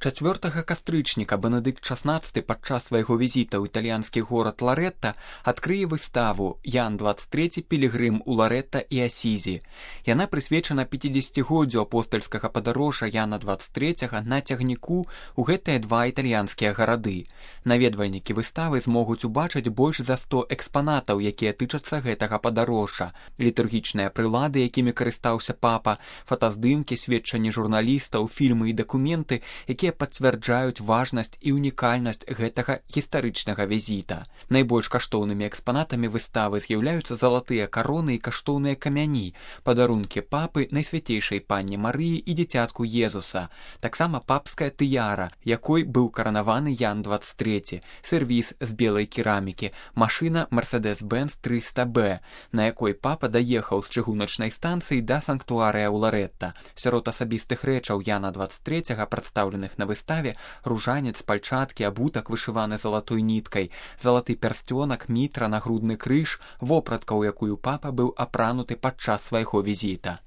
4 кастрычніка Бенедыкт XVI падчас свайго візіта ў італьянскі горад Ларэтта адкрые выставу «Ян 23 пілігрым у Ларэтта і Асізі». Яна прысвечана 50-годдзю апостальскага падарожжа Яна 23 на цягніку ў гэтыя два італьянскія гарады. Наведвальнікі выставы змогуць убачыць больш за 100 экспанатаў, якія тычацца гэтага падарожжа. Літургічныя прылады, якімі карыстаўся папа, фотаздымкі, сведчанні журналістаў, фільмы і дакументы, якія пацвярджаюць важнасць і унікальнасць гэтага гістарычнага візіта. Найбольш каштоўнымі экспанатамі выставы з'яўляюцца залатыя кароны і каштоўныя камяні, падарункі папы Найсвяцейшай Панне Марыі і дзіцятку Езуса, таксама папская тыяра, якой быў каранаваны Ян 23, сервіз з белай керамікі, машына Mercedes-Benz 300B, на якой папа даехаў з чыгуначнай станцыі да санктуарыя ў Ларэтта. Сярод асабістых рэчаў Яна 23 прадстаўленых на выставе ружанец, пальчаткі, абутак, вышываны залатой ніткай, залаты пярсцёнак, мітра, нагрудны крыж, вопратка, у якую папа быў апрануты падчас свайго візіта.